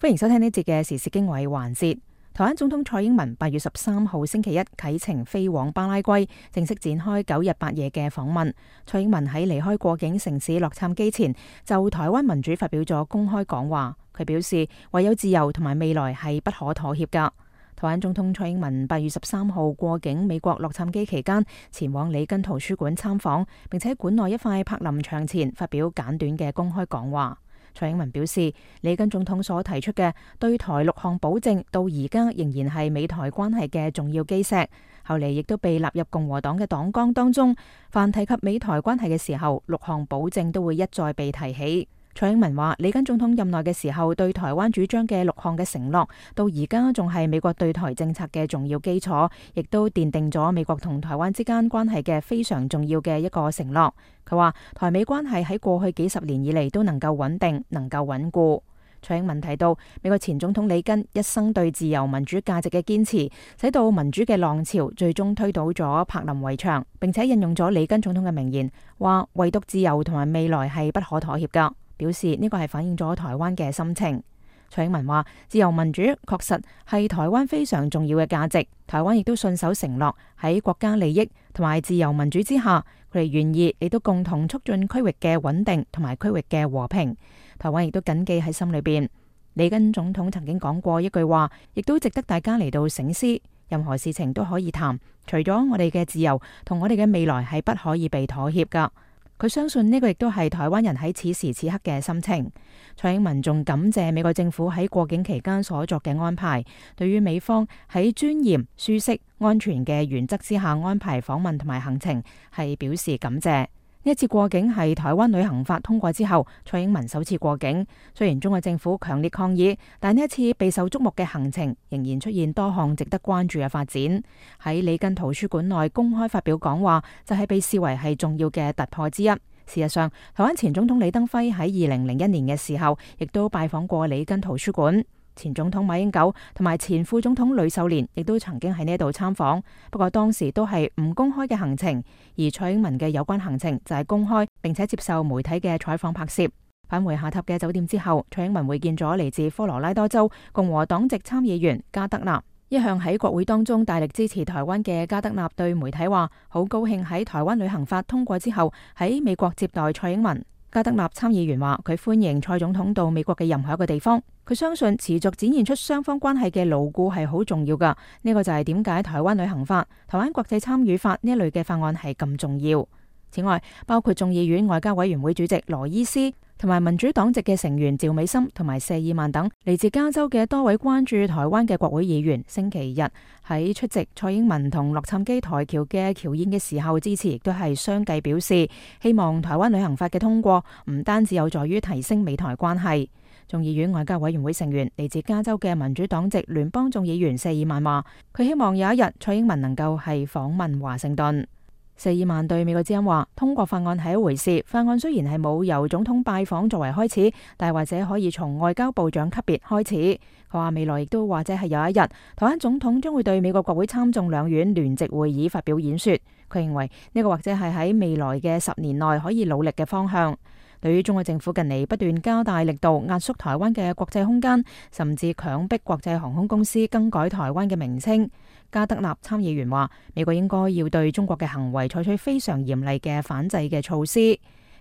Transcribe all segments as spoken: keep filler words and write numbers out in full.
歡迎收聽呢節嘅時事經緯環節。台灣總統蔡英文八月十三號星期一啟程飛往巴拉圭，正式展開九日八夜嘅訪問。蔡英文喺離開過境城市洛杉磯前，就台灣民主發表咗公開講話。佢表示，唯有自由同埋未來係不可妥協噶。台灣總統蔡英文八月十三號過境美國洛杉磯期間，前往里根圖書館參訪，並且館內一塊柏林牆前發表簡短嘅公開講話。蔡英文表示，里根總統所提出嘅對台六項保證，到而家仍然係美台關係嘅重要基石。後嚟亦都被納入共和黨嘅黨綱當中。凡提及美台關係嘅時候，六項保證都會一再被提起。蔡英文話，里根總統任內嘅時候，對台灣主張嘅六項嘅承諾，到而家仲係美國對台政策嘅重要基礎，亦都奠定咗美國同台灣之間關係嘅非常重要嘅一個承諾。佢話，台美關係喺過去幾十年以嚟都能夠穩定，能夠穩固。蔡英文提到，美國前總統里根一生對自由民主價值嘅堅持，使到民主嘅浪潮最終推倒咗柏林圍牆，並且引用咗里根總統嘅名言，話唯獨自由同埋未來係不可妥協噶。表示呢個係反映咗台灣嘅心情。蔡英文話，自由民主確實係台灣非常重要嘅價值，台灣亦都信守承諾，喺國家利益同埋自由民主之下，佢哋願意亦都共同促進區域嘅穩定同埋區域嘅和平。台灣亦都謹記喺心裏邊。里根總統曾經講過一句話，亦都值得大家嚟到省思，任何事情都可以談，除咗我哋嘅自由同我哋嘅未來係不可以被妥協噶。佢相信呢個亦都係台灣人喺此時此刻嘅心情。蔡英文仲感謝美國政府喺過境期間所作嘅安排，對於美方喺尊嚴、舒適、安全嘅原則之下安排訪問同埋行程，係表示感謝。呢一次過境係台灣旅行法通過之後，蔡英文首次過境。雖然中國政府強烈抗議，但呢一次備受矚目嘅行程仍然出現多項值得關注嘅發展。喺里根圖書館內公開發表講話，就係被視為係重要嘅突破之一。事實上，台灣前總統李登輝喺二零零一年嘅時候，亦都拜訪過里根圖書館。前總統馬英九同埋前副總統呂秀蓮亦都曾經喺呢度參訪，不過當時都係唔公開嘅行程，而蔡英文嘅有關行程就係公開，並且接受媒體嘅採訪拍攝。返回下榻嘅酒店之後，蔡英文會見咗嚟自科羅拉多州共和黨籍參議員加德納。一向喺國會當中大力支持台灣嘅加德納對媒體話，好高興喺台灣旅行法通過之後喺美國接待蔡英文。加德納參議員話，佢歡迎蔡總統到美國嘅任何一個地方，佢相信持續展現出雙方關係嘅牢固係好重要噶。呢個就係點解台灣旅行法、台灣國際參與法呢一類嘅法案係咁重要。此外，包括眾議院外交委員會主席羅伊斯同埋民主黨籍嘅成員趙美心同埋謝爾曼等嚟自加州嘅多位關注台灣嘅國會議員，星期日喺出席蔡英文同洛杉磯台僑嘅僑宴嘅時候支持，亦都係相繼表示希望台灣旅行法嘅通過唔單止有助於提升美台關係。眾議院外交委員會成員嚟自加州嘅民主黨籍聯邦眾議員謝爾曼話，佢希望有一日蔡英文能夠係訪問華盛頓。謝爾曼對美國之音話，通過法案係一回事，法案雖然係冇由總統拜訪作為開始，但係或者可以從外交部長級別開始。佢話未來亦都或者係有一日，台灣總統將會對美國國會參眾兩院聯席會議發表演說。佢認為呢個或者係喺未來嘅十年內可以努力嘅方向。對於中國政府近嚟不斷加大力度壓縮台灣嘅國際空間，甚至強迫國際航空公司更改台灣嘅名稱，加德納參議員話，美國應該要對中國嘅行為採取非常嚴厲嘅反制嘅措施。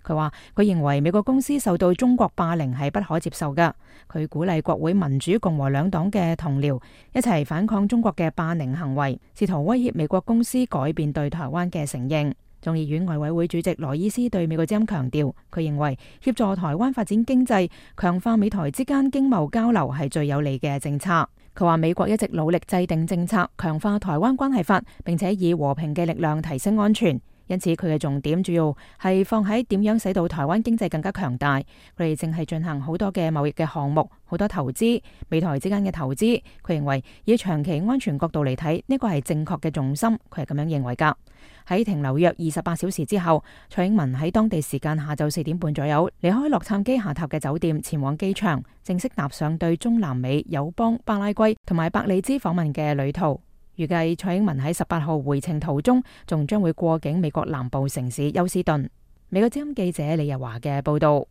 佢話佢認為美國公司受到中國霸凌係不可接受㗎。佢鼓勵國會民主共和兩黨嘅同僚一齊反抗中國嘅霸凌行為，試圖威脅美國公司改變對台灣嘅承認。眾議院外委會主席羅伊斯對美國之音強調，佢認為協助台灣發展經濟、強化美台之間經貿交流係最有利嘅政策。佢話美國一直努力制定政策，強化台灣關係法，並且以和平嘅力量提升安全。因此佢嘅重點主要係放喺點樣使到台灣經濟更加強大。佢哋正係進行好多嘅貿易嘅項目，好多投資，美台之間嘅投資。佢認為以長期安全角度嚟睇，呢個係正確嘅重心。佢係咁樣認為噶。喺停留約二十八小時之後，蔡英文喺當地時間下晝四點半左右離開洛杉磯下榻嘅酒店，前往機場，正式踏上對中南美友邦巴拉圭同埋伯利茲訪問嘅旅途。預計蔡英文喺十八號回程途中，仲將會過境美國南部城市休斯頓。美國之音記者李日華嘅報道。